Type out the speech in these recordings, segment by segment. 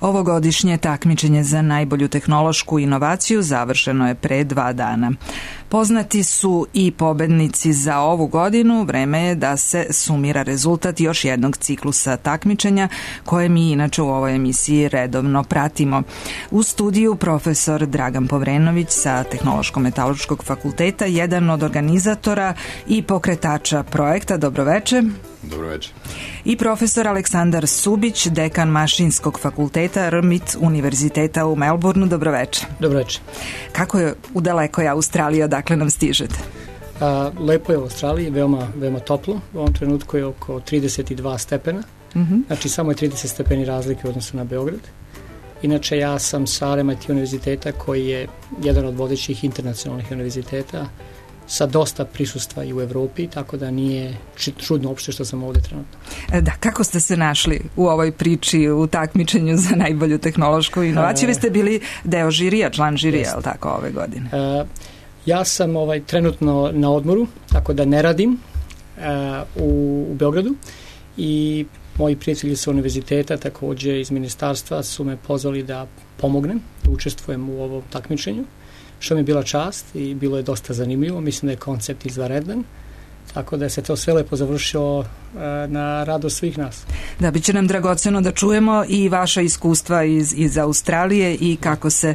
Ovogodišnje takmičenje za najbolju tehnološku inovaciju završeno je pre 2 dana. Poznati su i pobednici za ovu godinu, vreme je da se sumira rezultat još jednog ciklusa takmičenja koje mi inače u ovoj emisiji redovno pratimo. U studiju profesor Dragan Povrenović sa Tehnološko-metaloškog fakulteta, jedan od organizatora i pokretača projekta. Dobroveče. Dobroveče. I profesor Aleksandar Subić, dekan Mašinskog fakulteta RMIT Univerziteta u Melbourneu. Dobroveče. Dobroveče. Kako je u dalekoj Australiji, odakle nam stižete? Lepo je u Australiji, veoma toplo. U ovom trenutku je oko 32 stepena. Znači samo je 30 stepeni razlike u odnosu na Beograd. Inače ja sam sa RMIT Univerziteta koji je jedan od vodećih internacionalnih univerziteta sa dosta prisustva i u Evropi, tako da nije čudno uopšte što sam ovde trenutno. Da, kako ste se našli u ovoj priči, u takmičenju za najbolju tehnološku inovaciju? Vi ste bili deo žirija, član žirija, ali tako, ove godine? Ja sam trenutno na odmoru, tako da ne radim u Beogradu i moji prijatelji sa univerziteta, takođe iz ministarstva, su me pozvali da pomognem, da učestvujem u ovom takmičenju, što mi je bila čast i bilo je dosta zanimljivo. Mislim da je koncept izvanredan, tako da se to sve lepo završilo na radost svih nas. Da, bit će nam dragoceno da čujemo i vaša iskustva iz Australije i kako se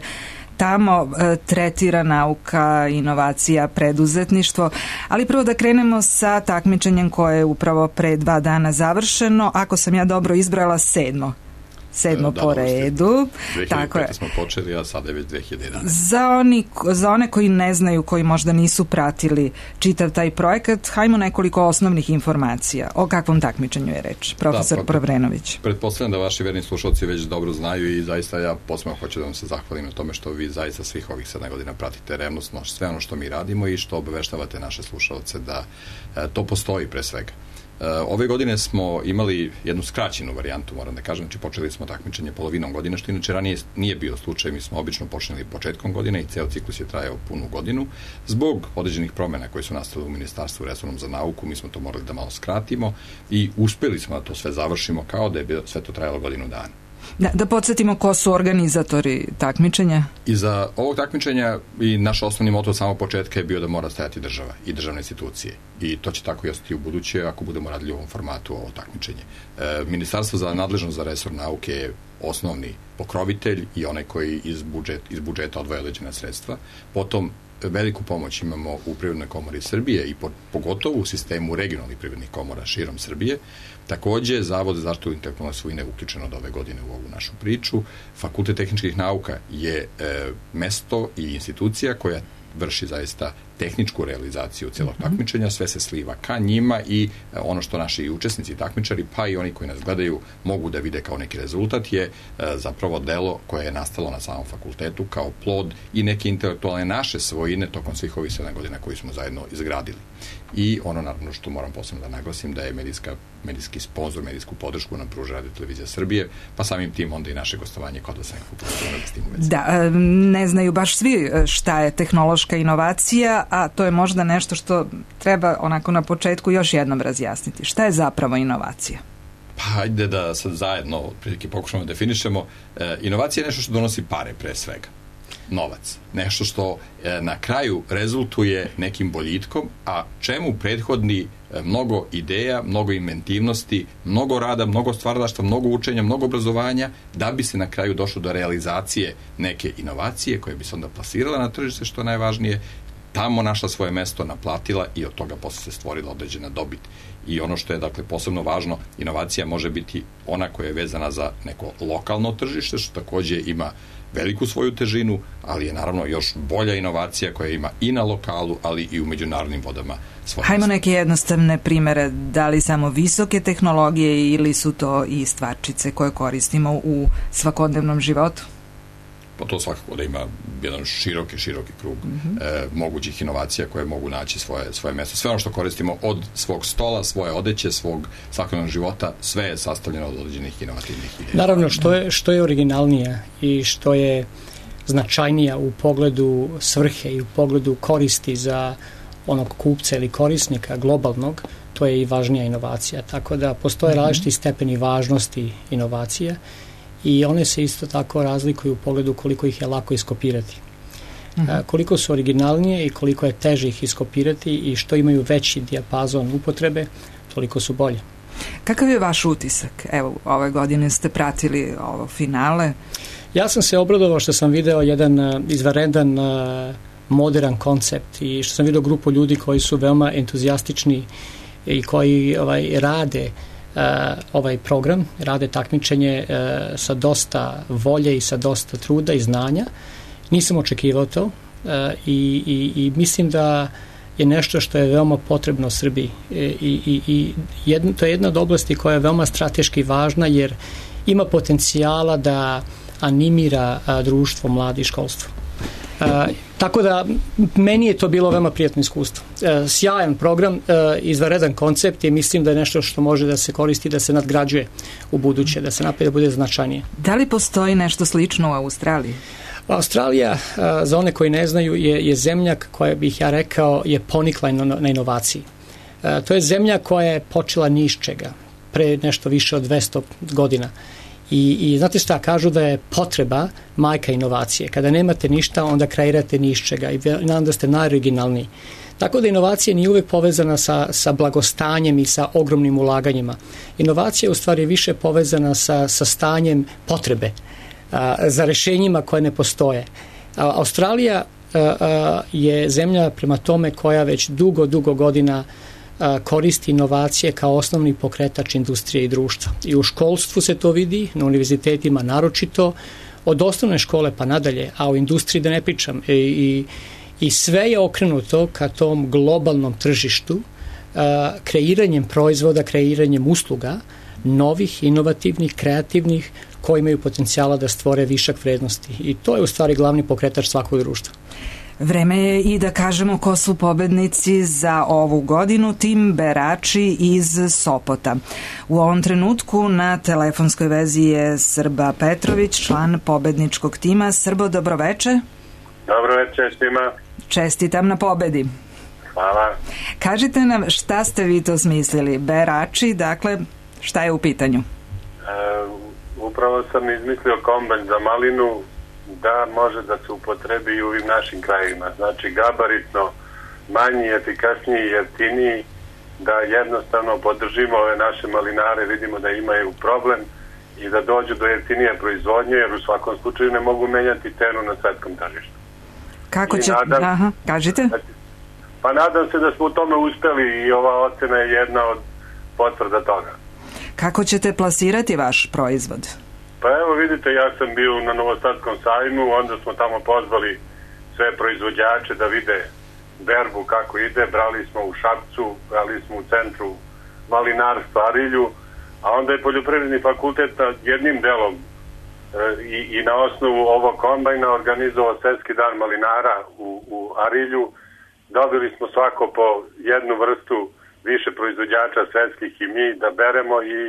tamo tretira nauka, inovacija, preduzetništvo. Ali prvo da krenemo sa takmičenjem koje je upravo pre 2 dana završeno. Ako sam ja dobro izbrala, sedmo po redu. 2005. smo počeli, a sada je već 2011. Za one koji ne znaju, koji možda nisu pratili čitav taj projekat, hajmo nekoliko osnovnih informacija. O kakvom takmičenju je reč? Profesor Povrenović. Pretpostavljam da vaši verni slušalci već dobro znaju i zaista ja posebno hoću da vam se zahvalim na tome što vi zaista svih ovih 7 godina pratite revnosno sve ono što mi radimo i što obaveštavate naše slušalce da to postoji pre svega. Ove godine smo imali jednu skraćenu varijantu, moram da kažem, znači počeli smo takmičenje polovinom godine, što inače ranije nije bio slučaj, mi smo obično počeli početkom godine i ceo ciklus je trajao punu godinu. Zbog određenih promena koje su nastale u Ministarstvu resornom za nauku, mi smo to morali da malo skratimo i uspeli smo da to sve završimo kao da je sve to trajalo godinu dana. Da podsjetimo ko su organizatori takmičenja? I za ovog takmičenja i naš osnovni moto od samog početka je bio da mora stajati država i državne institucije. I to će tako i ostati u buduće ako budemo radili u ovom formatu ovo takmičenje. Ministarstvo za nadležnost za resor nauke je osnovni pokrovitelj i onaj koji iz budžeta odvaja određena sredstva. Potom veliku pomoć imamo u Privrednoj komori Srbije i pogotovo u sistemu regionalnih privrednih komora širom Srbije. Takođe, Zavod za zaštitu intelektualne svojine je uključen od ove godine u ovu našu priču. Fakultet tehničkih nauka je mesto i institucija koja vrši zaista tehničku realizaciju celog takmičenja, sve se sliva ka njima i ono što naši učesnici takmičari, pa i oni koji nas gledaju, mogu da vide kao neki rezultat je zapravo delo koje je nastalo na samom fakultetu kao plod i neke intelektualne naše svojine tokom svih ovih 7 godina koji smo zajedno izgradili. I ono naravno što moram posebno da naglasim da je medijski sponsor, medijsku podršku nam pruža Radio Televizija Srbije, pa samim tim onda i naše gostovanje kod vas nekako s tim u vezi. Da, ne znaju baš svi šta je tehnološka inovacija, a to je možda nešto što treba onako na početku još jednom razjasniti. Šta je zapravo inovacija? Pa ajde da sad zajedno prilike pokušamo da definišemo. Inovacija je nešto što donosi pare pre svega. Novac. Nešto što na kraju rezultuje nekim boljitkom, a čemu prethodni mnogo ideja, mnogo inventivnosti, mnogo rada, mnogo stvaralaštva, mnogo učenja, mnogo obrazovanja, da bi se na kraju došlo do realizacije neke inovacije koje bi se onda plasirala na tržište, što je najvažnije, tamo našla svoje mesto, naplatila i od toga posle se stvorila određena dobit. I ono što je dakle posebno važno, inovacija može biti ona koja je vezana za neko lokalno tržište, što takođe ima veliku svoju težinu, ali je naravno još bolja inovacija koja ima i na lokalu, ali i u međunarodnim vodama svoje. Hajmo neke jednostavne primere, da li samo visoke tehnologije ili su to i stvarčice koje koristimo u svakodnevnom životu? Pa to svakako da ima jedan široki krug mogućih inovacija koje mogu naći svoje mesto. Sve ono što koristimo od svog stola, svoje odeće, svog svakodnevnog života, sve je sastavljeno od određenih inovativnih ideja. Naravno, što je originalnije i što je značajnija u pogledu svrhe i u pogledu koristi za onog kupca ili korisnika globalnog, to je i važnija inovacija. Tako da postoje različiti stepeni važnosti inovacije i one se isto tako razlikuju u pogledu koliko ih je lako iskopirati. Koliko su originalnije i koliko je teže ih iskopirati i što imaju veći dijapazon upotrebe, toliko su bolje. Kakav je vaš utisak? Evo, ove godine ste pratili ovo finale. Ja sam se obradovao što sam video jedan izvanredan modern koncept i što sam video grupu ljudi koji su veoma entuzijastični i koji rade ovaj program, rade takmičenje sa dosta volje i sa dosta truda i znanja. Nisam očekivao to i mislim da je nešto što je veoma potrebno Srbiji i to je jedna od oblasti koja je veoma strateški važna jer ima potencijala da animira društvo, mladi i školstvo. Tako da meni je to bilo veoma prijatno iskustvo. Sjajan program, izvanredan koncept i mislim da je nešto što može da se koristi, da se nadgrađuje u buduće, da se napravi da bude značajnije. Da li postoji nešto slično u Australiji? Australija, za one koji ne znaju, je zemlja koja bih ja rekao je ponikla na inovaciji. To je zemlja koja je počela ni iz čega, pre nešto više od 200 godina. I znate šta, kažu da je potreba majka inovacije. Kada nemate ništa, onda kreirate ni iz čega i nadam da ste najoriginalniji. Tako da inovacija nije uvek povezana sa blagostanjem i sa ogromnim ulaganjima. Inovacija je u stvari više povezana sa stanjem potrebe za rešenjima koje ne postoje. Australija je zemlja prema tome koja već dugo godina koristi inovacije kao osnovni pokretač industrije i društva. I u školstvu se to vidi, na univerzitetima naročito, od osnovne škole pa nadalje, a u industriji da ne pričam. I sve je okrenuto ka tom globalnom tržištu, kreiranjem proizvoda, kreiranjem usluga, novih, inovativnih, kreativnih, koji imaju potencijala da stvore višak vrednosti. I to je u stvari glavni pokretač svakog društva. Vreme je i da kažemo ko su pobednici za ovu godinu, tim Berači iz Sopota. U ovom trenutku na telefonskoj vezi je Srba Petrović, član pobedničkog tima. Srbo, dobroveče. Dobroveče svima. Čestitam na pobedi. Hvala. Kažite nam šta ste vi to smislili? Berači, dakle, šta je u pitanju? Upravo sam izmislio kombajn za malinu da može da se upotrebi i u ovim našim krajevima. Znači gabaritno manji, efikasniji, jeftiniji, da jednostavno podržimo ove naše malinare, vidimo da imaju problem i da dođu do jeftinije proizvodnje, jer u svakom slučaju ne mogu menjati cenu na svetskom tržištu. Kako će... kažite? Pa nadam se da smo u tome uspeli i ova ocena je jedna od potvrda toga. Kako ćete plasirati vaš proizvod? Pa evo vidite, ja sam bio na Novosadskom sajmu, onda smo tamo pozvali sve proizvođače da vide berbu kako ide, brali smo u Šapcu, brali smo u centru malinarstva Arilju, a onda je Poljoprivredni fakultet jednim delom i na osnovu ovog kombajna organizovao Svetski dan malinara u Arilju. Dobili smo svako po jednu vrstu više proizvođača svetskih i mi da beremo i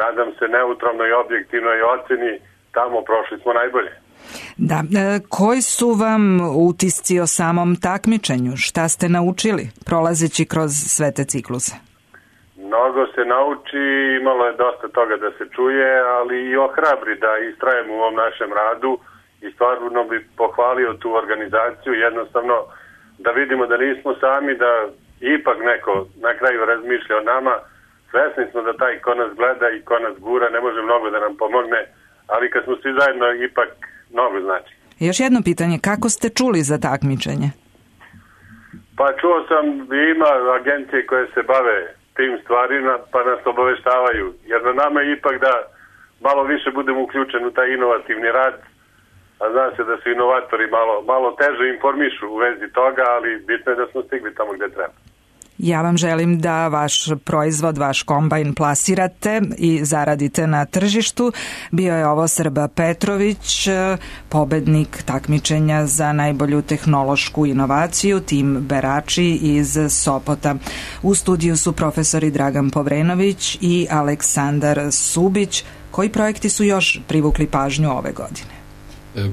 nadam se neutralnoj i objektivnoj oceni tamo prošli smo najbolje. Da, koji su vam utisci o samom takmičenju? Šta ste naučili prolazeći kroz sve te cikluse? Mnogo se nauči, imalo je dosta toga da se čuje, ali i ohrabri da istrajemo u ovom našem radu i stvarno bi pohvalio tu organizaciju, jednostavno da vidimo da nismo sami, da ipak neko na kraju razmišlja o nama. Svesni smo da taj ko nas gleda i ko nas gura ne može mnogo da nam pomogne, ali kad smo svi zajedno ipak mnogo znači. Još jedno pitanje, kako ste čuli za takmičenje? Pa čuo sam, ima agencije koje se bave tim stvarima pa nas obaveštavaju, jer na nama je ipak da malo više budemo uključeni u taj inovativni rad, a zna se da su inovatori malo teže informišu u vezi toga, ali bitno je da smo stigli tamo gde treba. Ja vam želim da vaš proizvod, vaš kombajn plasirate i zaradite na tržištu. Bio je ovo Srba Petrović, pobednik takmičenja za najbolju tehnološku inovaciju, tim Berači iz Sopota. U studiju su profesori Dragan Povrenović i Aleksandar Subić. Koji projekti su još privukli pažnju ove godine?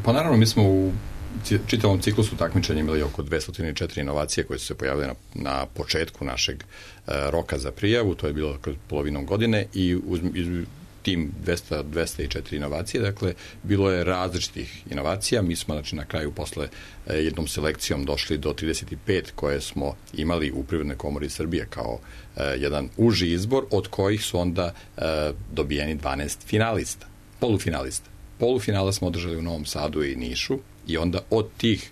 Pa naravno, mi smo u čitavom ciklusu takmičenja imali oko 204 inovacije koje su se pojavile na početku našeg roka za prijavu, to je bilo kroz polovinom godine i tim 204 inovacije, dakle, bilo je različitih inovacija. Mi smo, znači, na kraju posle jednom selekcijom došli do 35 koje smo imali u Privrednoj komori Srbije kao jedan uži izbor, od kojih su onda dobijeni 12 finalista, polufinalista. Polufinala smo održali u Novom Sadu i Nišu i onda od tih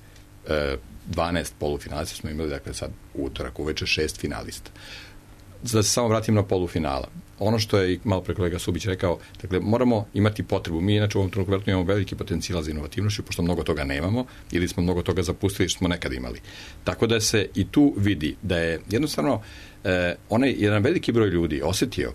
12 polufinalista smo imali, dakle, sad utorak uveče 6 finalista. Da se samo vratim na polufinala. Ono što je i malo pre kolega Subić rekao, dakle, moramo imati potrebu. Mi, inače, u ovom trenutku imamo veliki potencijal za inovativnošću, pošto mnogo toga nemamo ili smo mnogo toga zapustili što smo nekad imali. Tako da se i tu vidi da je jednostavno onaj jedan veliki broj ljudi osetio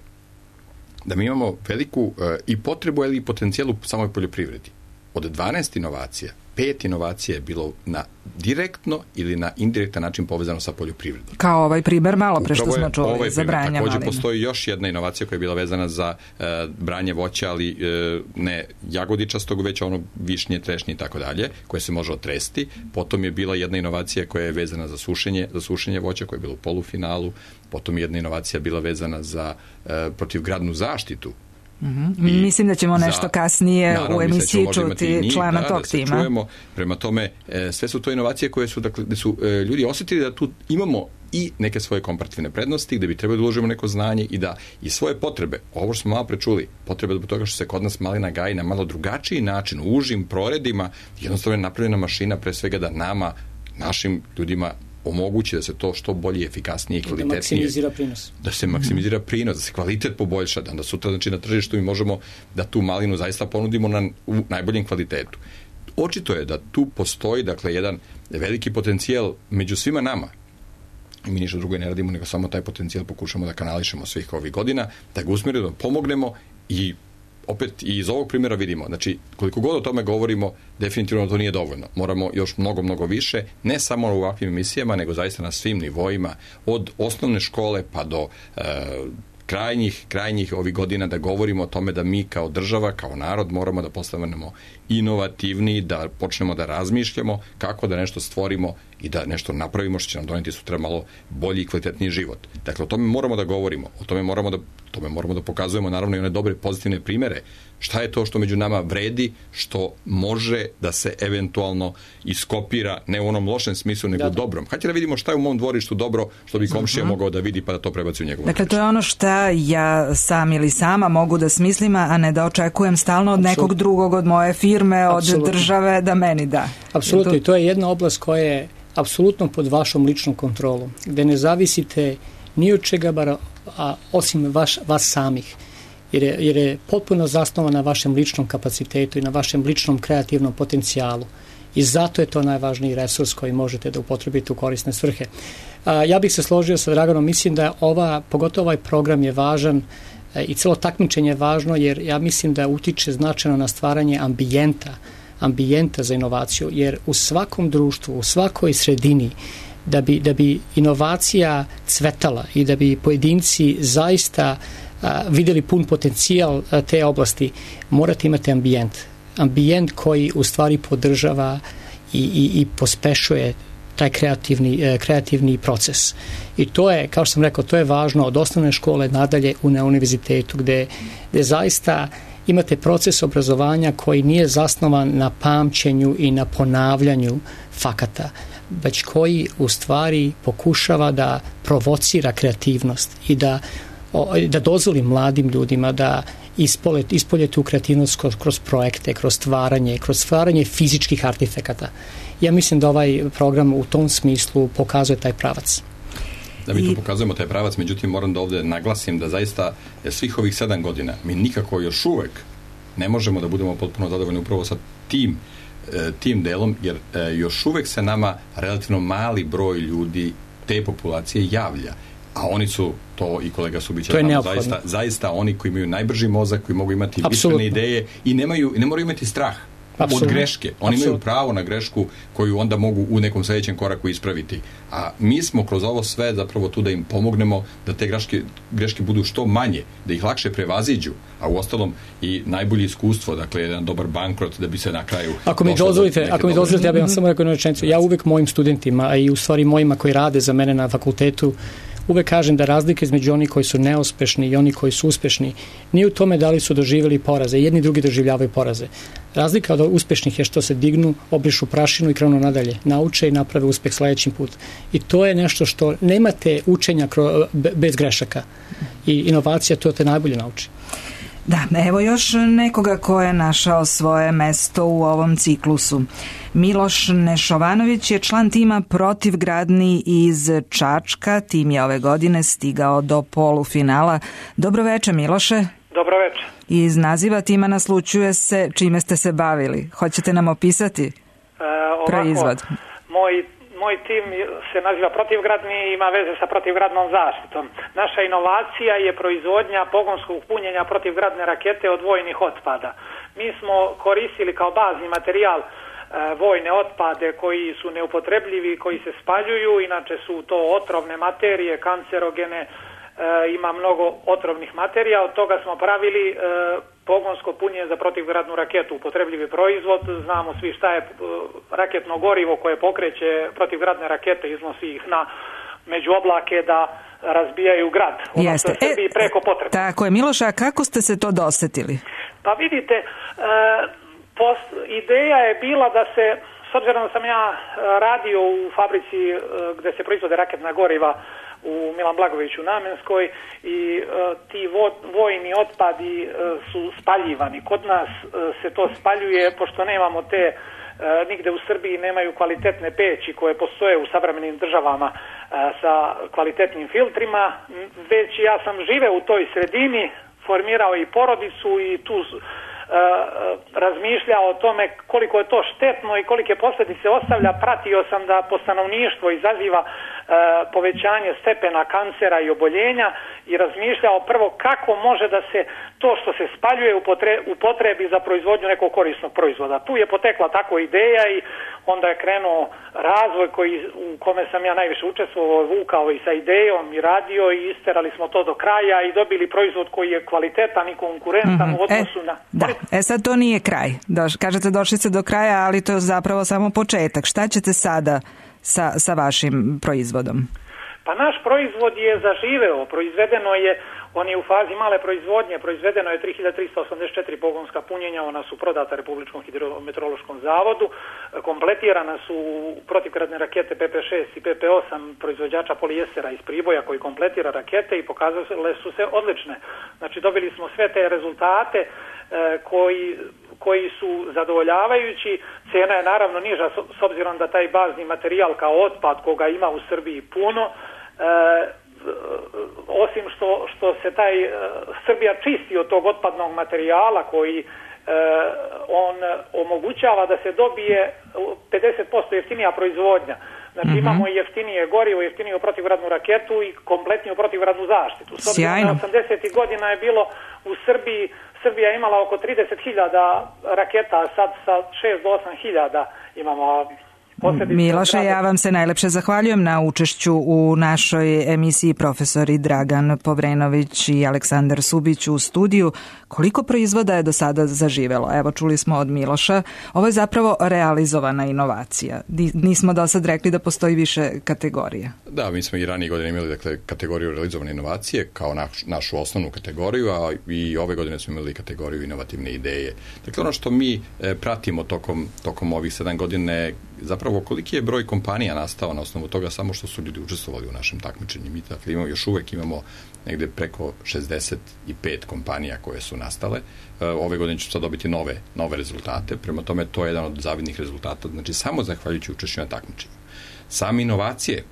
da mi imamo veliku i potrebu, ali i potencijal u samoj poljoprivredi. Od 12 inovacija, 5 inovacija je bilo na direktno ili na indirektan način povezano sa poljoprivredom. Kao ovaj primer malo pre što smo čuli za branje malina. Također postoji još jedna inovacija koja je bila vezana za branje voća, ali ne jagodičastog, već ono višnje, trešnje i tako dalje, koje se može otresti. Potom je bila jedna inovacija koja je vezana za sušenje voća, koja je bila u polufinalu. Potom je jedna inovacija bila vezana za protivgradnu zaštitu. Mislim da ćemo nešto kasnije u emisiji čuti člana tog tima. Čujemo. Prema tome, sve su to inovacije koje su, dakle, gde su ljudi osjetili da tu imamo i neke svoje komparativne prednosti, gde bi trebali da uložimo neko znanje i da i svoje potrebe, ovo što smo malo prečuli, potrebe zbog toga što se kod nas malina gaji na malo drugačiji način, u užim proredima, jednostavno je napravljena mašina pre svega da nama, našim ljudima omogući da se to što bolje, efikasnije i kvalitetnije. Da maksimizira prinos. Da se maksimizira prinos, da se kvalitet poboljša, da sutra, znači, na tržištu mi možemo da tu malinu zaista ponudimo u najboljem kvalitetu. Očito je da tu postoji, dakle, jedan veliki potencijal među svima nama. I mi ništa drugo ne radimo, nego samo taj potencijal pokušamo da kanališemo svih ovih godina, da ga usmerimo, da pomognemo i opet i iz ovog primjera vidimo, znači, koliko god o tome govorimo, definitivno to nije dovoljno. Moramo još mnogo, mnogo više, ne samo u ovakvim emisijama, nego zaista na svim nivoima, od osnovne škole pa do krajnjih ovih godina, da govorimo o tome da mi kao država, kao narod moramo da postanemo inovativniji, da počnemo da razmišljamo kako da nešto stvorimo i da nešto napravimo što će nam doneti sutra malo bolji i kvalitetniji život. Dakle, o tome moramo da govorimo, o tome moramo da pokazujemo naravno i one dobre pozitivne primere. Šta je to što među nama vredi, što može da se eventualno iskopira, ne u onom lošem smislu, nego u dobrom. Hajde da vidimo šta je u mom dvorištu dobro, što bi komšija mogao da vidi pa da to prebaci u njegovu. Dakle, to je ono šta ja sam ili sama mogu da smislim, a ne da očekujem stalno od nekog drugog, od moje firme, od države da meni da. Apsolutno, i to je jedna oblast koja je apsolutno pod vašom ličnom kontrolom, gde ne zavisite ni od čega, osim vas samih. Jer je potpuno zasnovan na vašem ličnom kapacitetu i na vašem ličnom kreativnom potencijalu. I zato je to najvažniji resurs koji možete da upotrebite u korisne svrhe. Ja bih se složio sa Draganom, mislim da pogotovo ovaj program je važan i celo takmičenje je važno, jer ja mislim da utiče značajno na stvaranje ambijenta za inovaciju, jer u svakom društvu, u svakoj sredini, da bi inovacija cvetala i da bi pojedinci zaista vidjeli pun potencijal te oblasti, morate imati ambijent koji u stvari podržava i pospešuje taj kreativni proces. I to je, kao što sam rekao, to je važno od osnovne škole nadalje na univerzitetu, gde zaista imate proces obrazovanja koji nije zasnovan na pamćenju i na ponavljanju fakata, već koji u stvari pokušava da provocira kreativnost i da dozvoli mladim ljudima da ispolje tu kreativnost kroz projekte, kroz stvaranje fizičkih artefakata. Ja mislim da ovaj program u tom smislu pokazuje taj pravac. Da mi tu pokazujemo taj pravac, međutim moram da ovde naglasim da zaista svih ovih 7 godina mi nikako još uvek ne možemo da budemo potpuno zadovoljni upravo sa tim delom, jer još uvek se nama relativno mali broj ljudi te populacije javlja. A oni su, to i kolega Subić, zaista oni koji imaju najbrži mozak, koji mogu imati višene ideje i ne moraju imati strah od greške. Oni imaju pravo na grešku koju onda mogu u nekom sljedećem koraku ispraviti. A mi smo kroz ovo sve zapravo tu da im pomognemo da te greške budu što manje, da ih lakše prevaziđu, a u ostalom i najbolje iskustvo, dakle jedan dobar bankrot da bi se na kraju... Ako mi dozvolite, ja bih vam samo rekao jednu rečenicu. Ja uvek mojim studentima, a i u stvari mojima koji rade za mene na fakultetu, uvek kažem da razlika između oni koji su neuspešni i oni koji su uspešni nije u tome da li su doživjeli poraze. Jedni i drugi doživljavaju poraze. Razlika od uspešnih je što se dignu, obrišu prašinu i krenu nadalje. Nauče i naprave uspeh sledeći put. I to je nešto što nemate učenja bez grešaka. I inovacija to te najbolje nauči. Da, evo još nekoga ko je našao svoje mesto u ovom ciklusu. Miloš Nešovanović je član tima Protivgradni iz Čačka. Tim je ove godine stigao do polufinala. Dobroveče, Miloše. Dobroveče. Iz naziva tima naslućuje se čime ste se bavili. Hoćete nam opisati proizvod? Moj tim se naziva Protivgradni i ima veze sa protivgradnom zaštitom. Naša inovacija je proizvodnja pogonskog punjenja protivgradne rakete od vojnih otpada. Mi smo koristili kao bazni materijal vojne otpade koji su neupotrebljivi, koji se spaljuju, inače su to otrovne materije, kancerogene, ima mnogo otrovnih materija, od toga smo pravili pogonsko punjenje za protivgradnu raketu, upotrebljivi proizvod, znamo svi šta je raketno gorivo koje pokreće protivgradne rakete, iznosi ih na među oblake da razbijaju grad. Jeste. Preko potrebe. Tako je, Miloša, a kako ste se to dosetili? Pa vidite, ideja je bila da se, s obzirom da sam ja radio u fabrici gde se proizvode raketna goriva u Milan Blagojeviću Namenskoj i ti vojni otpadi su spaljivani. Kod nas se to spaljuje, pošto nemamo te, nigde u Srbiji nemaju kvalitetne peći koje postoje u savremenim državama sa kvalitetnim filtrima, već ja sam živeo u toj sredini, formirao i porodicu i tu razmišljao o tome koliko je to štetno i kolike posljedice ostavlja. Pratio sam da po stanovništvo izaziva povećanje stepena kancera i oboljenja i razmišljao prvo kako može da se to što se spaljuje upotrebi za proizvodnju nekog korisnog proizvoda. Tu je potekla tako ideja i onda je krenuo razvoj u kome sam ja najviše učestvovao, vukao i sa idejom i radio i isterali smo to do kraja i dobili proizvod koji je kvalitetan i konkurentan u odnosu na... Sad to nije kraj. Kažete došli ste do kraja, ali to je zapravo samo početak. Šta ćete sada sa vašim proizvodom? Pa naš proizvod je zaživeo, proizvedeno je, on je u fazi male proizvodnje, proizvedeno je 3384 pogonska punjenja, ona su prodata Republičkom hidrometeorološkom zavodu, kompletirana su protivgradne rakete PP6 i PP8 proizvođača polijestera iz Priboja koji kompletira rakete i pokazale su se odlične. Znači dobili smo sve te rezultate koji su zadovoljavajući. Cena je naravno niža s obzirom da taj bazni materijal kao otpad koga ima u Srbiji puno, osim što se taj Srbija čisti od tog otpadnog materijala koji on omogućava da se dobije 50% jeftinija proizvodnja. Znači imamo i jeftinije gorivo, jeftiniju protivgradnu raketu i kompletniju protivgradnu zaštitu. S obzirom da 80. godina je bilo u Srbiji, Srbija je imala oko 30.000 raketa, a sad sa 6 do 8.000 imamo. Miloše, ja vam se najlepše zahvaljujem na učešću u našoj emisiji. Profesori Dragan Povrenović i Aleksandar Subić u studiju. Koliko proizvoda je do sada zaživelo? Evo, čuli smo od Miloša. Ovo je zapravo realizovana inovacija. Nismo do sad rekli da postoji više kategorija. Da, mi smo i ranije godine imali kategoriju realizovane inovacije kao našu osnovnu kategoriju, a i ove godine smo imali kategoriju inovativne ideje. Dakle, ono što mi pratimo tokom ovih 7 godine zapravo koliki je broj kompanija nastao na osnovu toga samo što su ljudi učestvovali u našem takmičenju. Mi dakle, još uvek imamo negde preko 65 kompanija koje su nastale. Ove godine ću sad dobiti nove rezultate. Prema tome, to je jedan od zavidnih rezultata. Znači, samo zahvaljujući učešću na takmičenju. Same inovacije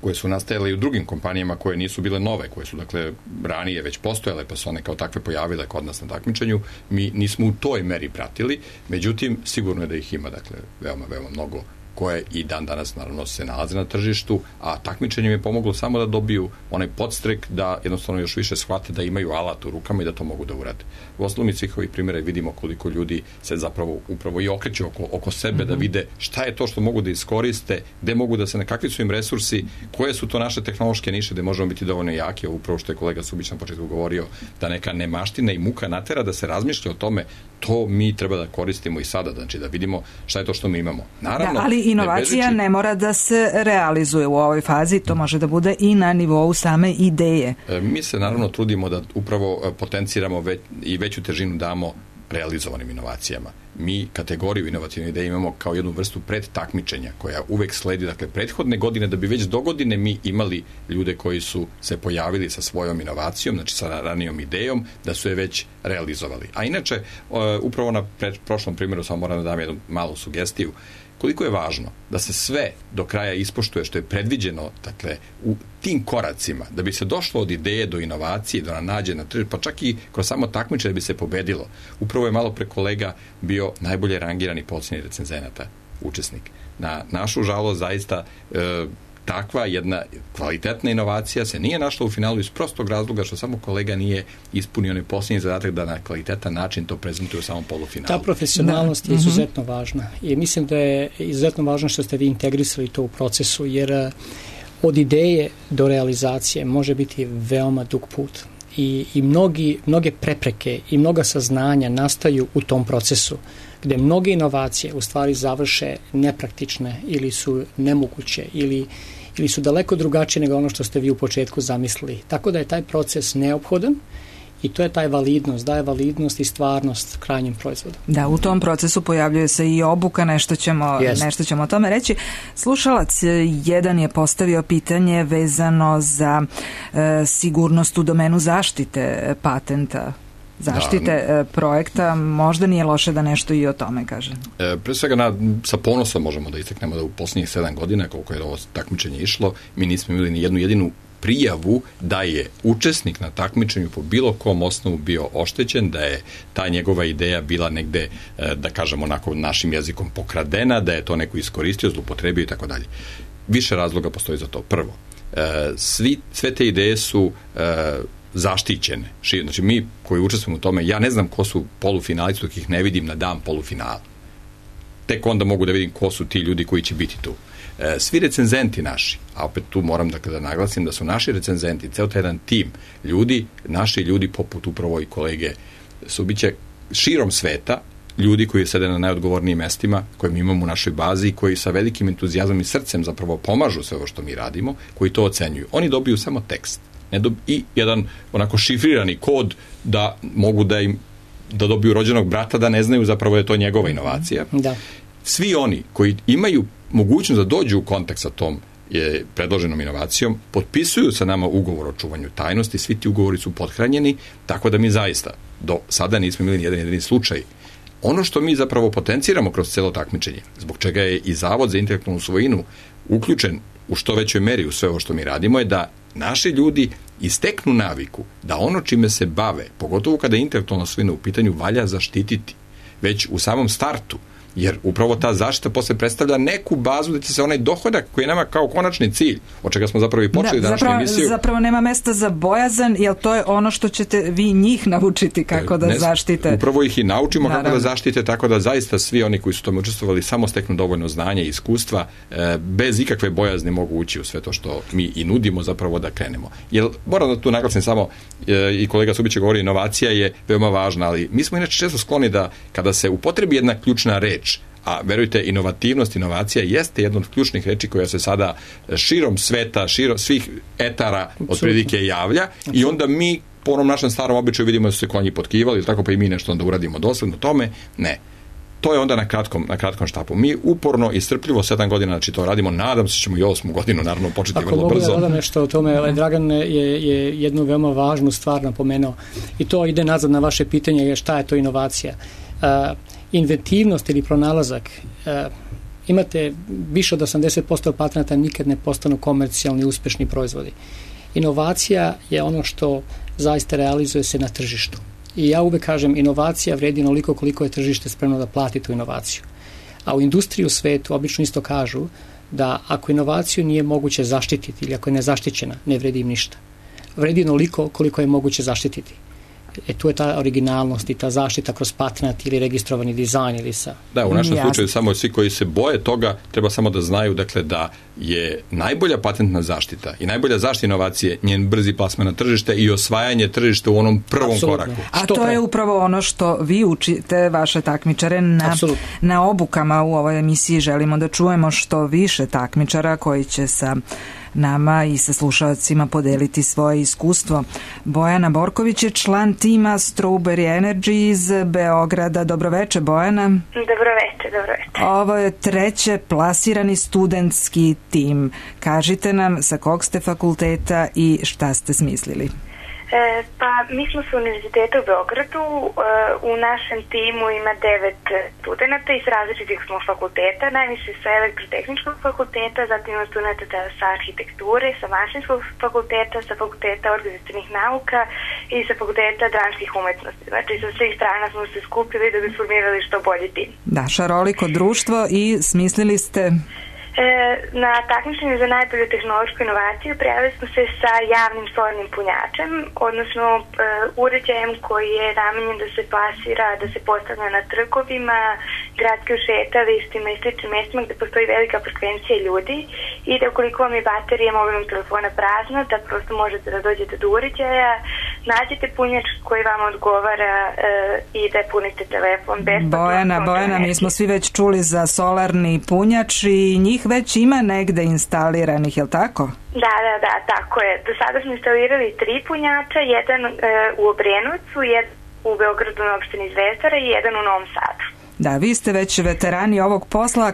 koje su nastajale i u drugim kompanijama koje nisu bile nove, koje su dakle ranije već postojale pa su one kao takve pojavile kod nas na takmičenju, mi nismo u toj meri pratili, međutim sigurno je da ih ima dakle veoma mnogo koje i dan danas naravno se nalaze na tržištu, a takmičenje im je pomoglo samo da dobiju onaj podstrek da jednostavno još više shvate da imaju alat u rukama i da to mogu da urade. U osnovu mi svih ovih primjera vidimo koliko ljudi se zapravo upravo i okreću oko sebe da vide šta je to što mogu da iskoriste, gde mogu da se, kakvi su im resursi, koje su to naše tehnološke niše gde možemo biti dovoljno jaki, upravo što je kolega Subić na početku govorio, da neka nemaština i muka natera da se razmišlja o tome, to mi treba da koristimo i sada, znači da vidimo šta je to što mi imamo. Naravno, da, ali inovacija ne mora da se realizuje u ovoj fazi, to može da bude i na nivou same ideje. Mi se naravno trudimo da upravo potenciramo i veću težinu damo realizovanim inovacijama. Mi kategoriju inovativne ideje imamo kao jednu vrstu predtakmičenja koja uvek sledi, dakle, prethodne godine, da bi već do godine mi imali ljude koji su se pojavili sa svojom inovacijom, znači sa ranijom idejom, da su je već realizovali. A inače, upravo na prošlom primjeru samo moram da dam jednu malu sugestiju, koliko je važno da se sve do kraja ispoštuje što je predviđeno, dakle, u tim koracima, da bi se došlo od ideje do inovacije, do nađe na tržište, pa čak i kroz samo takmičenje da bi se pobedilo. Upravo je malo pre kolega bio najbolje rangirani po ocjeni recenzenata učesnik. Na našu žalost, zaista, takva jedna kvalitetna inovacija se nije našla u finalu iz prostog razloga što samo kolega nije ispunio onaj posljednji zadatak da na kvalitetan način to prezentuje u samom polufinalu. Ta profesionalnost je izuzetno važna i mislim da je izuzetno važno što ste vi integrisali to u procesu, jer od ideje do realizacije može biti veoma dug put i mnoge prepreke i mnoga saznanja nastaju u tom procesu, gde mnoge inovacije u stvari završe nepraktične ili su nemoguće ili su daleko drugačije nego ono što ste vi u početku zamislili. Tako da je taj proces neophodan i to je taj validnost, daje validnost i stvarnost krajnjem proizvodu. Da, u tom procesu pojavljuje se i obuka, nešto ćemo o tome reći. Slušalac jedan je postavio pitanje vezano za sigurnost u domenu zaštite patenta, zaštite projekta, možda nije loše da nešto i o tome kažem. Pre svega sa ponosom možemo da istaknemo da u posljednjih 7 godina, koliko je ovo takmičenje išlo, mi nismo imali ni jednu jedinu prijavu da je učesnik na takmičenju po bilo kom osnovu bio oštećen, da je ta njegova ideja bila negde, da kažemo onako našim jezikom, pokradena, da je to neko iskoristio, zloupotrebio i tako dalje. Više razloga postoji za to. Prvo, sve te ideje su zaštićene. Znači mi koji učestvujemo u tome, ja ne znam ko su polufinalisti dok ih ne vidim na dan polufinala. Tek onda mogu da vidim ko su ti ljudi koji će biti tu. Svi recenzenti naši, a opet tu moram da naglasim da su naši recenzenti, ceo taj jedan tim ljudi, naši ljudi poput upravo i kolege Subića, širom sveta, ljudi koji sede na najodgovornijim mestima koje mi imamo u našoj bazi i koji sa velikim entuzijazmom i srcem zapravo pomažu sve ovo što mi radimo, koji to ocenjuju. Oni dobiju samo tekst i jedan onako šifrirani kod da mogu da dobiju rođenog brata, da ne znaju zapravo je to njegova inovacija. Da. Svi oni koji imaju mogućnost da dođu u kontakt sa tom predloženom inovacijom, potpisuju sa nama ugovor o čuvanju tajnosti, svi ti ugovori su pothranjeni, tako da mi zaista do sada nismo imali ni jedan jedini slučaj. Ono što mi zapravo potenciramo kroz celo takmičenje, zbog čega je i Zavod za intelektualnu svojinu uključen u što većoj meri u sve ovo što mi radimo, je da naši ljudi isteknu naviku da ono čime se bave, pogotovo kada je intelektualna svojina u pitanju, valja zaštititi već u samom startu. Jer upravo ta zaštita posle predstavlja neku bazu da će se onaj dohodak koji je nama kao konačni cilj, od čega smo zapravo i počeli današnju emisiju. Zapravo nema mesta za bojazan, jer to je ono što ćete vi njih naučiti kako da zaštite. Upravo ih i naučimo kako da zaštite, tako da zaista svi oni koji su tome učestvovali samo steknu dovoljno znanja i iskustva, bez ikakve bojazni mogu ući u sve to što mi i nudimo zapravo da krenemo. Jer moram da tu naglasim samo, i kolega Subić govori, inovacija je veoma važna, ali mi smo inače često skloni da kada se upotrebi jedna ključna reč, a verujte, inovativnost, inovacija jeste jedna od ključnih reči koja se sada širom sveta, širom svih etara otprilike javlja i onda mi po onom našem starom običaju vidimo da su se konji potkivali, tako pa i mi nešto onda uradimo dosledno tome. Ne. To je onda na kratkom štapu. Mi uporno i strpljivo 7 godina znači to radimo, nadam se ćemo i 8. godinu naravno početi vrlo brzo. Ako mogu da dodam nešto o tome, Dragan je jednu veoma važnu stvar napomenuo i to ide nazad na vaše pitanje šta je to inovacija. Inventivnost ili pronalazak, imate više od 80% patenata nikad ne postanu komercijalni uspešni proizvodi. Inovacija je ono što zaista realizuje se na tržištu. I ja uvek kažem, inovacija vredi onoliko koliko je tržište spremno da plati tu inovaciju. A u industriji u svetu obično isto kažu da ako inovaciju nije moguće zaštititi ili ako je nezaštićena, ne vredi im ništa. Vredi onoliko koliko je moguće zaštititi. Tu je ta originalnost i ta zaštita kroz patent ili registrovani dizajn ili sa... Da, u našem slučaju samo svi koji se boje toga treba samo da znaju dakle da je najbolja patentna zaštita i najbolja zaštita inovacije njen brzi plasman na tržište i osvajanje tržišta u onom prvom koraku. A to je upravo ono što vi učite vaše takmičare na obukama u ovoj emisiji. Želimo da čujemo što više takmičara koji će sa nama i sa slušalcima podeliti svoje iskustvo. Bojana Borković je član tima Strawberry Energy iz Beograda. Dobroveče, Bojana. Dobroveče. Ovo je treće plasirani studentski tim. Kažite nam sa kog ste fakulteta i šta ste smislili? Pa mi smo sa Univerziteta u Beogradu, u našem timu ima 9 studenta iz različitih smo fakulteta, najviše sa elektrotehničkog fakulteta, zatim ima studenta sa arhitekture, sa mašinskog fakulteta, sa fakulteta organizacionih nauka i sa fakulteta dramskih umetnosti. Znači sa svih strana smo se skupili da bi formirali što bolji tim. Da, šaroliko društvo i smislili ste... Na takmičenju za najbolju tehnološku inovaciju prijavili smo se sa javnim solarnim punjačem, odnosno uređajem koji je namenjen da se plasira, da se postavlja na trgovima, gradskim šetalištima i sličnim mestima gde postoji velika frekvencija ljudi i da ukoliko vam je baterija mobilnog telefona prazna, da prosto možete da dođete do uređaja, nađete punjač koji vam odgovara i da punite telefon besplatno. Bojana, mi smo svi već čuli za solarni punjač i njih već ima negde instaliranih, je li tako? Da, tako je. Do sada smo instalirali 3 punjača, jedan u Obrenovcu, jedan u Beogradu na opštini Zvezdara i jedan u Novom Sadu. Da, vi ste već veterani ovog posla, a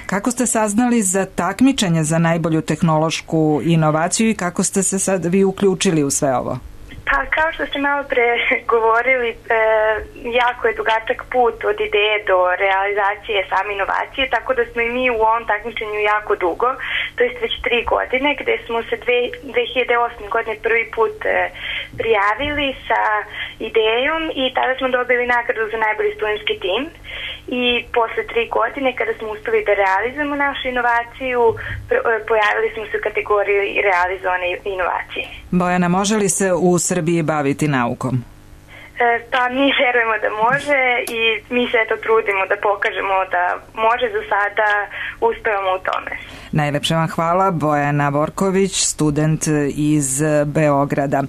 kako ste saznali za takmičenje za najbolju tehnološku inovaciju i kako ste se sad vi uključili u sve ovo? Pa kao što ste malo pre govorili, jako je dugačak put od ideje do realizacije same inovacije, tako da smo i mi u ovom takmičenju jako dugo, to jest već 3 godine, gde smo se 2008. godine prvi put prijavili sa idejom i tada smo dobili nagradu za najbolji studentski tim. I posle 3 godine kada smo uspeli da realizujemo našu inovaciju, pojavili smo se u kategoriji realizovane inovacije. Bojana, može li se u Srbiji baviti naukom? Pa mi verujemo da može i mi se to trudimo da pokažemo da može, za sada uspevamo u tome. Najlepše vam hvala, Bojana Borković, student iz Beograda.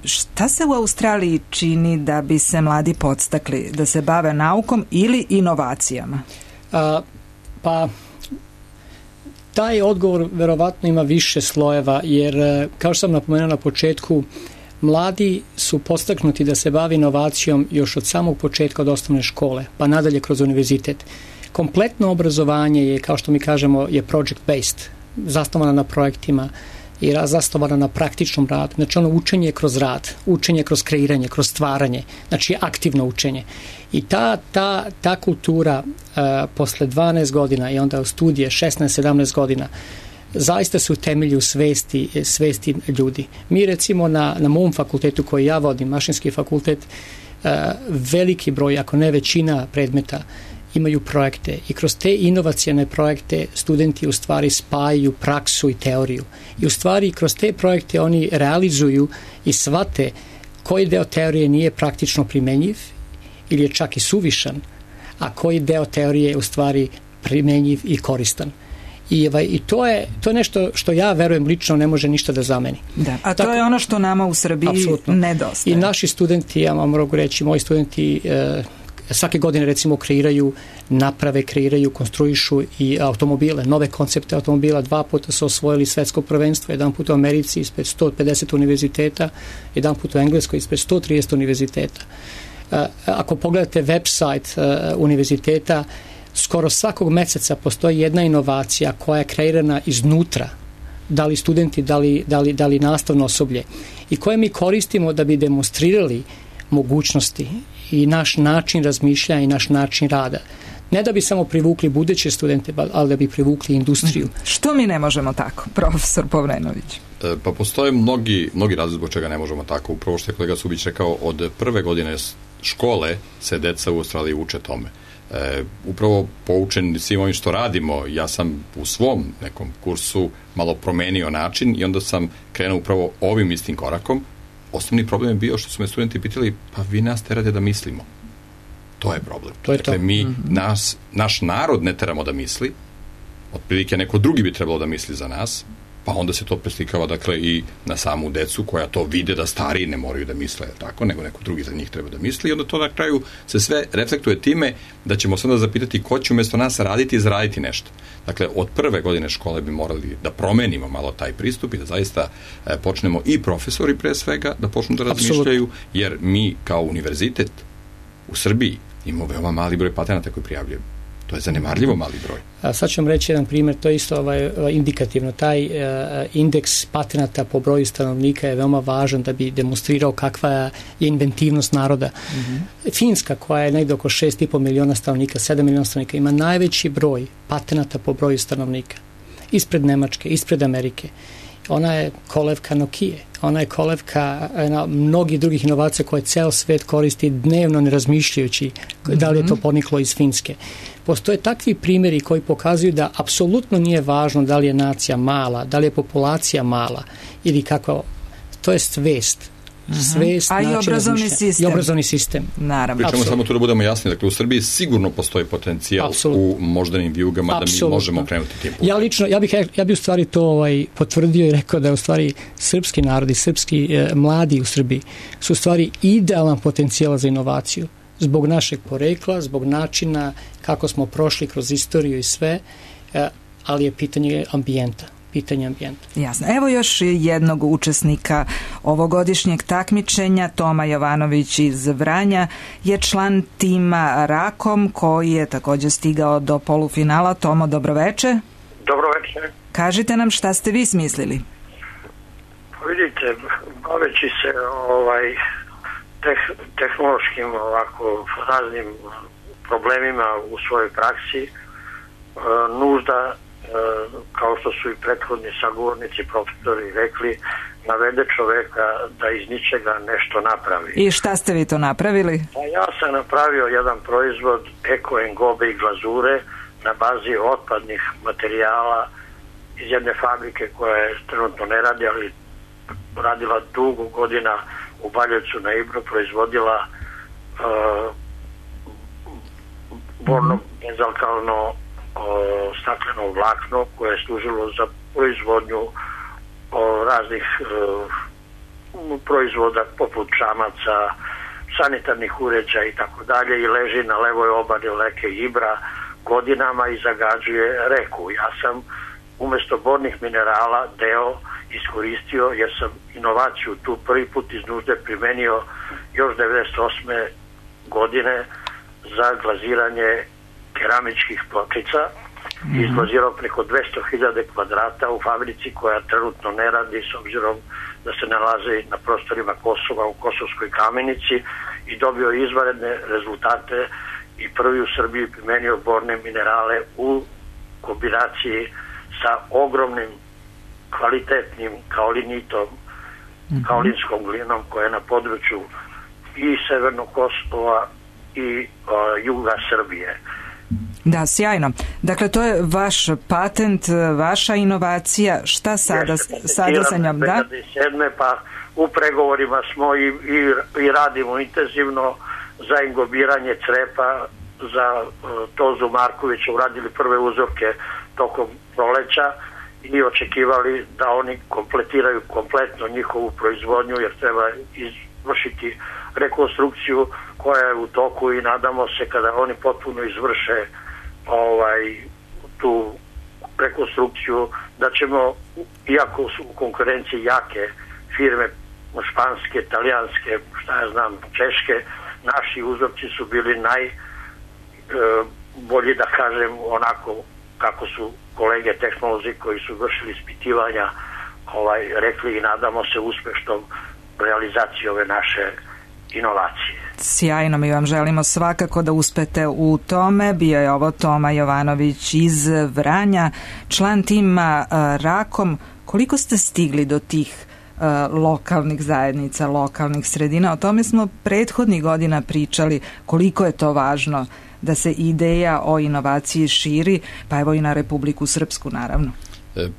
Šta se u Australiji čini da bi se mladi podstakli da se bave naukom ili inovacijama? Pa taj odgovor verovatno ima više slojeva, jer kao što sam napomenuo na početku, mladi su podstaknuti da se bavi inovacijom još od samog početka od osnovne škole, pa nadalje kroz univerzitet. Kompletno obrazovanje je, kao što mi kažemo, je project-based, zasnovano na projektima i zasnovano na praktičnom radu. Znači ono učenje kroz rad, učenje kroz kreiranje, kroz stvaranje, znači aktivno učenje. I ta kultura posle 12 godina i onda u studije 16-17 godina zaista su temelji u svesti ljudi. Mi recimo na mom fakultetu koji ja vodim, mašinski fakultet, veliki broj, ako ne većina predmeta imaju projekte i kroz te inovacijne projekte studenti u stvari spajaju praksu i teoriju. I u stvari kroz te projekte oni realizuju i shvate koji deo teorije nije praktično primenjiv ili je čak i suvišan, a koji deo teorije je u stvari primenjiv i koristan. I to je nešto što ja verujem lično ne može ništa da zameni. Da, a to je ono što nama u Srbiji nedostaje. I naši studenti, ja vam mogu reći, moji studenti svake godine recimo kreiraju, konstruišu i automobile, nove koncepte automobila. 2 puta su osvojili svetsko prvenstvo, jedan put u Americi ispred 150 univerziteta, jedan put u Engleskoj ispred 130 univerziteta. Ako pogledate website univerziteta, skoro svakog meseca postoji jedna inovacija koja je kreirana iznutra, da li studenti, da li nastavno osoblje, i koje mi koristimo da bi demonstrirali mogućnosti i naš način razmišljanja i naš način rada. Ne da bi samo privukli buduće studente, ali da bi privukli industriju. Što mi ne možemo tako, profesor Povrenović? Pa postoje mnogi razlozi zbog čega ne možemo tako. Upravo što je kolega Subić rekao, od prve godine škole se deca u Australiji uče tome. Upravo poučen svim ovim što radimo, ja sam u svom nekom kursu malo promenio način i onda sam krenuo upravo ovim istim korakom, osnovni problem je bio što su me studenti pitali, pa vi nas terate da mislimo. To je problem. Dakle, mi, naš narod ne teramo da misli, otprilike neko drugi bi trebalo da misli za nas, pa onda se to preslikava, dakle, i na samu decu koja to vide da stariji ne moraju da misle tako, nego neko drugi za njih treba da misli, i onda to na kraju se sve reflektuje time da ćemo se onda zapitati ko će umjesto nas raditi i zaraditi nešto. Dakle, od prve godine škole bi morali da promenimo malo taj pristup i da zaista počnemo i profesori pre svega da počnu da razmišljaju, jer mi kao univerzitet u Srbiji imamo veoma mali broj patenata koji prijavljujemo. To je zanemarljivo mali broj. Sad ću vam reći jedan primjer, to je isto indikativno. Taj indeks patenata po broju stanovnika je veoma važan da bi demonstrirao kakva je inventivnost naroda. Finska, koja je negdje oko 6,5 miliona stanovnika, 7 miliona stanovnika, ima najveći broj patenata po broju stanovnika. Ispred Nemačke, ispred Amerike. Ona je kolevka Nokije, ona je kolevka mnogih drugih inovacija koje ceo svet koristi dnevno ne razmišljajući da li je to poniklo iz Finske. Postoje takvi primjeri koji pokazuju da apsolutno nije važno da li je nacija mala, da li je populacija mala ili kakva, to je svest. Svest, a i obrazovni sistem. I obrazovni sistem. Naravno. Pričamo samo tu da budemo jasni, dakle u Srbiji sigurno postoji potencijal u moždanim vijugama da mi možemo krenuti tim putem. Ja bih u stvari to potvrdio i rekao da je u stvari srpski narod i srpski mladi u Srbiji su u stvari idealan potencijal za inovaciju. Zbog našeg porekla, zbog načina kako smo prošli kroz istoriju i sve, ali je pitanje ambijenta. Jasno. Evo još jednog učesnika ovogodišnjeg takmičenja. Toma Jovanović iz Vranja je član tima Rakom koji je također stigao do polufinala. Tomo, dobroveče. Dobroveče. Kažite nam šta ste vi smislili. Vidite, baveći se tehnološkim raznim problemima u svojoj praksi, nužda, kao što su i prethodni sagovornici, profesori rekli, navede čoveka da iz ničega nešto napravi. I šta ste vi to napravili? Ja sam napravio jedan proizvod eko engobe i glazure na bazi otpadnih materijala iz jedne fabrike koja je trenutno ne radi, ali radila dugo godina u Baljevcu na Ibru, proizvodila borno bezalkalno stakleno vlakno koje je služilo za proizvodnju raznih proizvoda poput čamaca, sanitarnih uređaja i tako dalje, i leži na levoj obali reke Ibra godinama i zagađuje reku. Ja sam umjesto bornih minerala deo iskoristio, jer sam inovaciju tu prvi put iz nužde primenio još 98. godine za glaziranje keramičkih pločica i izglazirao preko 200.000 kvadrata u fabrici koja trenutno ne radi s obzirom da se nalaze na prostorima Kosova u Kosovskoj Kamenici, i dobio izvanredne rezultate i prvi u Srbiji primenio borne minerale u kombinaciji sa ogromnim kvalitetnim kaolinitom, kaolinskom glinom koja je na području i Severnog Kosova i juga Srbije. Da, sjajno. Dakle, to je vaš patent, vaša inovacija. Šta sada sa njom? Da? 2007. Pa u pregovorima smo i radimo intenzivno za ingobiranje crepa za Tozu Markovića, uradili prve uzorke tokom proleća i očekivali da oni kompletiraju kompletno njihovu proizvodnju, jer treba izvršiti rekonstrukciju koja je u toku, i nadamo se kada oni potpuno izvrše tu rekonstrukciju da ćemo, iako su u konkurenciji jake firme španske, talijanske, šta ja znam, češke, naši uzorci su bili najbolji, da kažem, onako kako su kolege tehnolozi koji su vršili ispitivanja rekli, i nadamo se uspešnom realizaciji ove naše inovacije. Sjajno, mi vam želimo svakako da uspete u tome. Bio je ovo Toma Jovanović iz Vranja, član tima Rakom. Koliko ste stigli do tih lokalnih zajednica, lokalnih sredina? O tome smo prethodnih godina pričali, koliko je to važno da se ideja o inovaciji širi, pa evo i na Republiku Srpsku, naravno.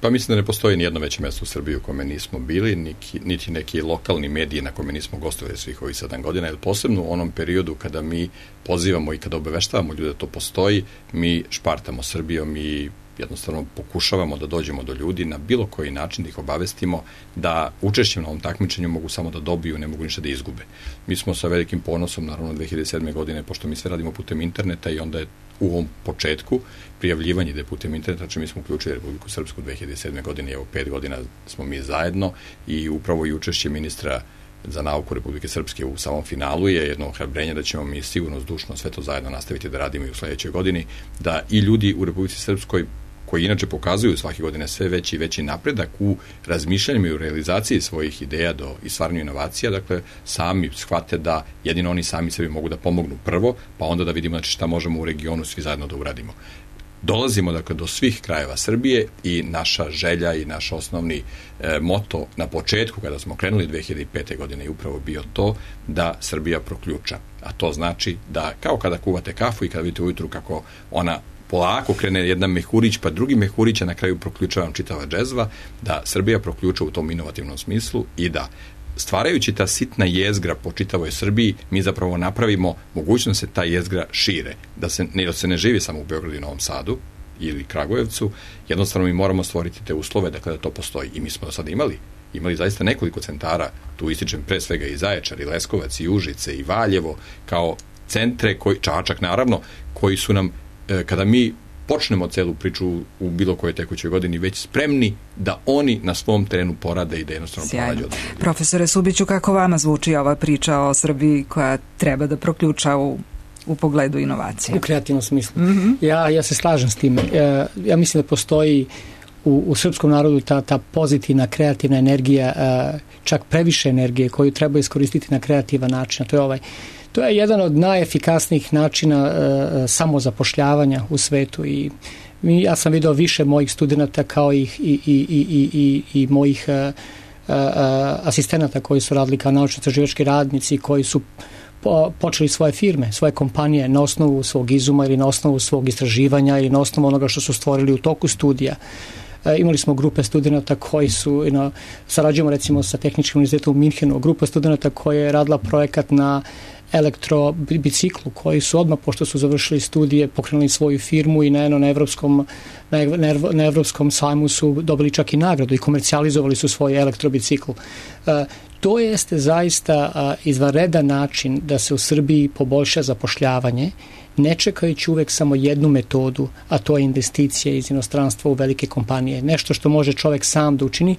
Pa mislim da ne postoji nijedno veće mesto u Srbiji u kome nismo bili, niti neki lokalni mediji na kome nismo gostovali svih ovih 7 godina, jer posebno u onom periodu kada mi pozivamo i kada obaveštavamo ljude da to postoji, mi špartamo Srbijom i jednostavno pokušavamo da dođemo do ljudi na bilo koji način, da ih obavestimo da učešćem na ovom takmičenju mogu samo da dobiju, ne mogu ništa da izgube. Mi smo sa velikim ponosom, naravno 2007. godine, pošto mi sve radimo putem interneta i onda je u ovom početku prijavljivanje da je putem interneta, znači mi smo uključili Republiku Srpsku 2007. godine i evo 5 godina smo mi zajedno i upravo i učešće ministra za nauku Republike Srpske u samom finalu je jedno ohrabrenje da ćemo mi sigurno zdušno sve to zajedno nastaviti da radimo i u sledećoj godini, da i ljudi u Republici Srpskoj koji inače pokazuju svake godine sve veći i veći napredak u razmišljanju i u realizaciji svojih ideja i stvaranju inovacija, dakle sami shvate da jedino oni sami sebi mogu da pomognu prvo, pa onda da vidimo znači, šta možemo u regionu svi zajedno da uradimo. Dolazimo dakle do svih krajeva Srbije i naša želja i naš osnovni moto na početku kada smo krenuli 2005. godine je upravo bio to da Srbija proključa. A to znači da kao kada kuvate kafu i kada vidite ujutru kako ona polako krene jedan mehurić, pa drugi mehurić, a na kraju proključava čitava džezva, da Srbija proključa u tom inovativnom smislu i da stvarajući ta sitna jezgra po čitavoj Srbiji, mi zapravo napravimo mogućnost da se ta jezgra šire, da se ne živi samo u Beogradu i Novom Sadu ili Kragujevcu, jednostavno mi moramo stvoriti te uslove dakle, da to postoji. I mi smo do sada imali zaista nekoliko centara, tu ističem pre svega i Zaječar, i Leskovac, i Užice, i Valjevo, kao centre, Čačak naravno, koji su nam kada mi počnemo celu priču u bilo kojoj tekućoj godini već spremni da oni na svom terenu porade i da jednostavno pronađu od ljudi. Profesore Subiću, kako vama zvuči ova priča o Srbiji koja treba da proključa u pogledu inovacije? U kreativnom smislu. Ja se slažem s time. Ja mislim da postoji u srpskom narodu ta pozitivna, kreativna energija, čak previše energije koju treba iskoristiti na kreativan način. To je jedan od najefikasnijih načina samozapošljavanja u svetu i ja sam vidio više mojih studenta kao i mojih asistenata koji su radili kao naučno-istraživački radnici, koji su počeli svoje firme, svoje kompanije na osnovu svog izuma ili na osnovu svog istraživanja ili na osnovu onoga što su stvorili u toku studija. Imali smo grupe studenta koji su, sarađujemo recimo sa Tehničkim univerzitetom u Minhenu, grupa studenta koja je radila projekat na elektrobiciklu, koji su odmah, pošto su završili studije, pokrenuli svoju firmu i na evropskom sajmu su dobili čak i nagradu i komercijalizovali su svoj elektrobicikl. To jeste zaista izvanredan način da se u Srbiji poboljša zapošljavanje, ne čekajući uvek samo jednu metodu, a to je investicije iz inostranstva u velike kompanije. Nešto što može čovek sam da učini,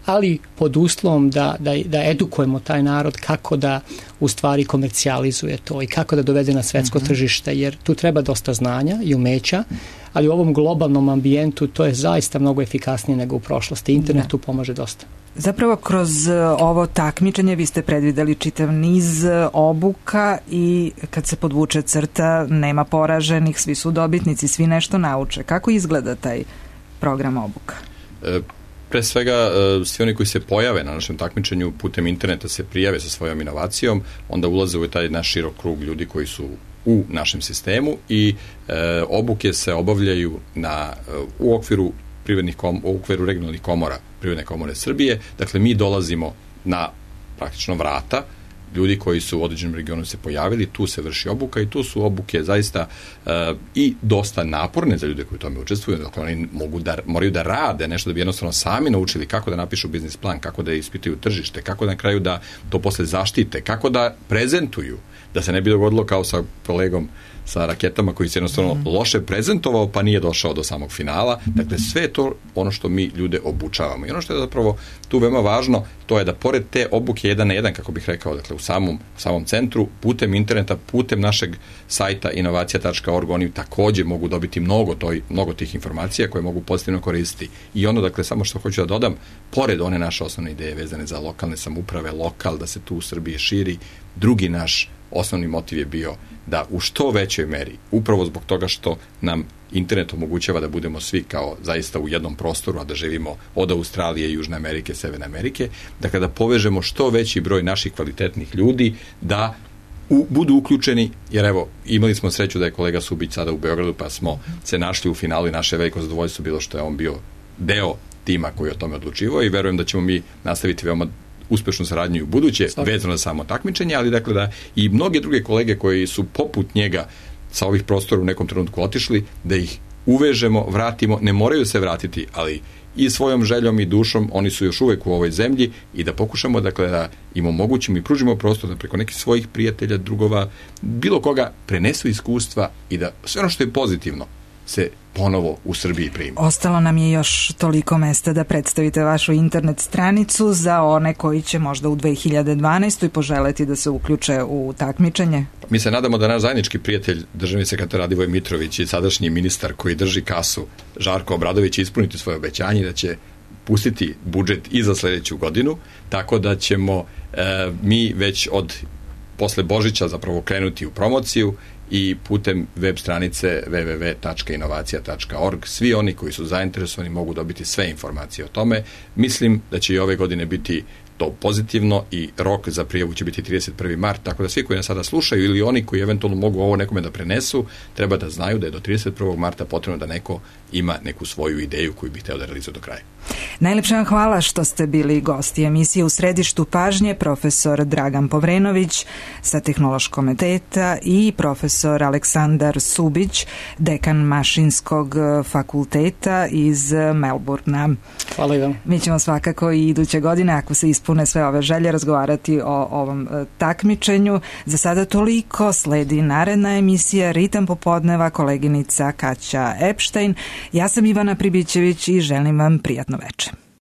ali pod uslovom da edukujemo taj narod kako da u stvari komercijalizuje to i kako da dovede na svetsko tržište, jer tu treba dosta znanja i umeća, ali u ovom globalnom ambijentu to je zaista mnogo efikasnije nego u prošlosti. Internet tu pomaže dosta. Zapravo kroz ovo takmičenje vi ste predvideli čitav niz obuka i kad se podvuče crta nema poraženih, svi su dobitnici, svi nešto nauče. Kako izgleda taj program obuka? Pre svega, svi oni koji se pojave na našem takmičenju putem interneta se prijave sa svojom inovacijom, onda ulaze u taj naš širok krug ljudi koji su u našem sistemu i obuke se obavljaju u okviru regionalnih komora, Privredne komore Srbije. Dakle, mi dolazimo na praktično vrata ljudi koji su u određenom regionu se pojavili, tu se vrši obuka i tu su obuke zaista i dosta naporne za ljude koji u tome učestvuju, dakle oni moraju da rade nešto da bi jednostavno sami naučili kako da napišu biznis plan, kako da ispituju tržište, kako na kraju da to posle zaštite, kako da prezentuju, da se ne bi dogodilo kao sa kolegom sa raketama koji se jednostavno loše prezentovao pa nije došao do samog finala. Dakle, sve je to ono što mi ljude obučavamo. I ono što je zapravo tu veoma važno, to je da pored te obuke 1 na 1, kako bih rekao, dakle, u samom centru, putem interneta, putem našeg sajta inovacija.org, oni takođe mogu dobiti mnogo tih informacija koje mogu pozitivno koristiti. I ono, dakle, samo što hoću da dodam, pored one naše osnovne ideje vezane za lokalne samouprave, da se tu u Srbiji širi, drugi naš osnovni motiv je bio da u što većoj meri, upravo zbog toga što nam internet omogućava da budemo svi kao zaista u jednom prostoru, a da živimo od Australije, Južne Amerike, Severne Amerike, dakle da povežemo što veći broj naših kvalitetnih ljudi da budu uključeni, jer evo, imali smo sreću da je kolega Subić sada u Beogradu, pa smo se našli u finalu i naše veliko zadovoljstvo bilo što je on bio deo tima koji je o tome odlučivao i verujem da ćemo mi nastaviti veoma uspešnu saradnju i u buduće, vezano za samo takmičenje, ali dakle da i mnoge druge kolege koji su poput njega sa ovih prostora u nekom trenutku otišli, da ih uvežemo, vratimo, ne moraju se vratiti, ali i svojom željom i dušom oni su još uvek u ovoj zemlji i da pokušamo dakle da im omogućimo i pružimo prostor da preko nekih svojih prijatelja, drugova, bilo koga prenesu iskustva i da sve ono što je pozitivno se ponovo u Srbiji primi. Ostalo nam je još toliko mesta da predstavite vašu internet stranicu za one koji će možda u 2012. poželeti da se uključe u takmičenje. Mi se nadamo da naš zajednički prijatelj, državni sekretar Radivoj Mitrović i sadašnji ministar koji drži kasu, Žarko Obradović, ispuniti svoje obećanje da će pustiti budžet i za sledeću godinu, tako da ćemo mi već od posle Božića zapravo krenuti u promociju i putem web stranice www.inovacija.org svi oni koji su zainteresovani mogu dobiti sve informacije o tome. Mislim da će i ove godine biti to pozitivno i rok za prijavu će biti 31. mart, tako da svi koji nas sada slušaju ili oni koji eventualno mogu ovo nekome da prenesu, treba da znaju da je do 31. marta potrebno da neko ima neku svoju ideju koju bi hteo da realizuje do kraja. Najlepša vam hvala što ste bili gosti emisije U središtu pažnje, profesor Dragan Povrenović sa Tehnološkog fakulteta i profesor Aleksandar Subić, dekan Mašinskog fakulteta iz Melbourna. Hvala i vam. Mi ćemo svakako i iduće godine, ako se ispune sve ove želje, razgovarati o ovom takmičenju. Za sada toliko, sledi naredna emisija Ritam popodneva, koleginica Kaća Epštajn. Ja sam Ivana Pribićević i želim vam prijatno večer.